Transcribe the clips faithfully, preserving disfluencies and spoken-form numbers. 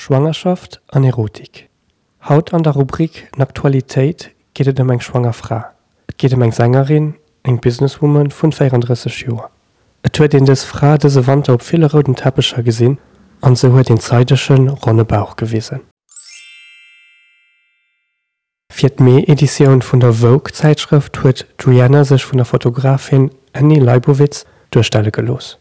Schwangerschaft an Erotik. Haut an der Rubrik Naktualitéit geet et ëm eng schwanger Fra. Et geet ëm eng Sängerin, eng Businesswoman vun véierandrësseg Joer. Et huet een dës Fra dëse Wanter op ville rouden Teppecher gesinn an se huet een zeidege, ronne Bauch gewisen. Fir d'Mee-Editioun vun der Vogue-Zäitschrëft huet d'Rihanna sech vun der Fotografin Annie Leibovitz duerstelle gelooss.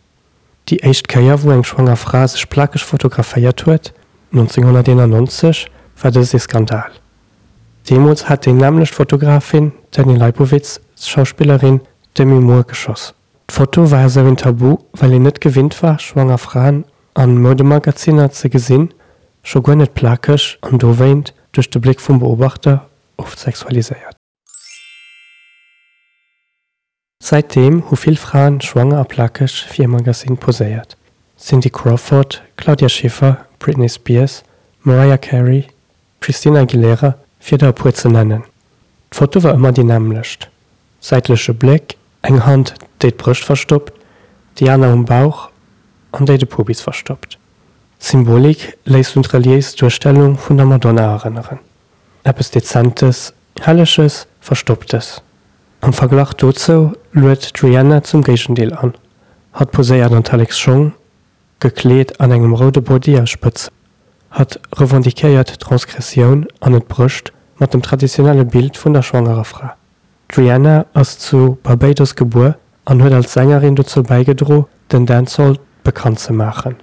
Déi éischt Kéier wou eng schwanger Fra sech plakeg fotograféiert huet, nonzénghonnerteenannonzeg, war dëst ee Skandal. Deemools hat déi nämmlecht Fotografin, d'Annie Leibovitz, d'Schauspillerin Demi Moore geschoss. D'Foto war esou een Tabu, well een net gewinnt war, schwanger Fraen a Moudemagazinner ze gesinn, scho guer net plakeg an dowéint duerch de Bléck vum Beobachter oft sexualiséiert. Säitdeem hu vill Fraen schwanger a plakeg fir e Magazin poséiert, Cindy Crawford, Claudia Schiffer, Britney Spears, Mariah Carey, Christina Aguilera, fir der e puer ze nennen. D'Foto war ëmmer déi nämmlecht, säitleche Bléck, eng Hand déi d'Brëscht verstoppt, déi aner um Bauch an déi de Pubis verstoppt. D'Symbolik léisst un d'reliéis Duerstellung vun der Madonna erënneren, eppes Dezentes, Helleges, Verstopptes. Am Verglach dozou luet d'Rihanna zum Géigendeel an. Hatt poséiert an Tallek's-Schong, gekleet an engem roude Body aus Spëtzen. Hatt revendiquéiert d'Transgressioun an et brécht mat dem traditionelle Bild vun der schwangerer Fra. D'Rihanna ass zu Barbados gebuer an huet als Sängerin dozou bäigedro den Dancehall bekannt ze maachen.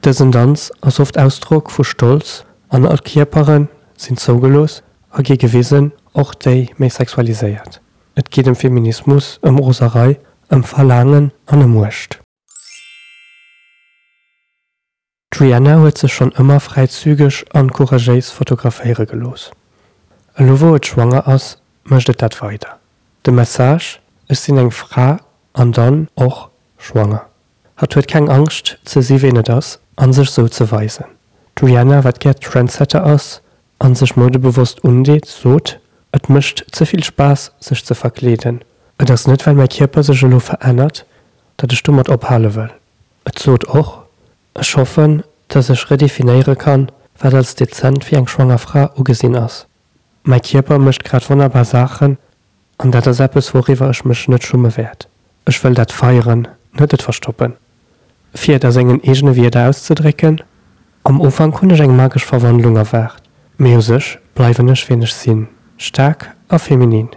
Dësen Danz ass oft Ausdrock vu Stolz an all Kierpere sinn zougelooss a gi gewisen, och déi méi sexualiséiert. Et geet ëm Feminismus, ëm Roserei, ëm Verlaangen an ëm Muecht. D'Rihanna huet sech schonn ëmmer fräizügeg an couragéis fotograféiere gelooss. Elo wou et schwanger ass, mécht et dat weider. De Message, Ech sinn eng Fra an dann och schwanger. Hatt huet keng Angscht ze si ween et ass an sech sou ze weisen. D'Rihanna, wat gär Trendsetter ass an sech moudebewosst undeet, sot, Et mécht ze vill Spaass sech ze verkleeden. Et ass net well mäi Kierper sech elo verännert, datt ech domat ophale wëll. Et sot och, Ech hoffen, datt ech redefinéiere kann, wat als dezent fir eng schwanger Fra ugesinn ass. Mäi Kierper mécht grad wonnerbar Saachen an dat ass eppes wouriwwer ech mech net schumme wäert. Ech wëll dat feieren, net et verstoppen. Fir et a sengen eegene Wierder auszedrécken, Am Ufank hunn ech eng magesch Verwandlung erwaart, mee u sech bleiwen ech wien ech sinn, staark a feminin.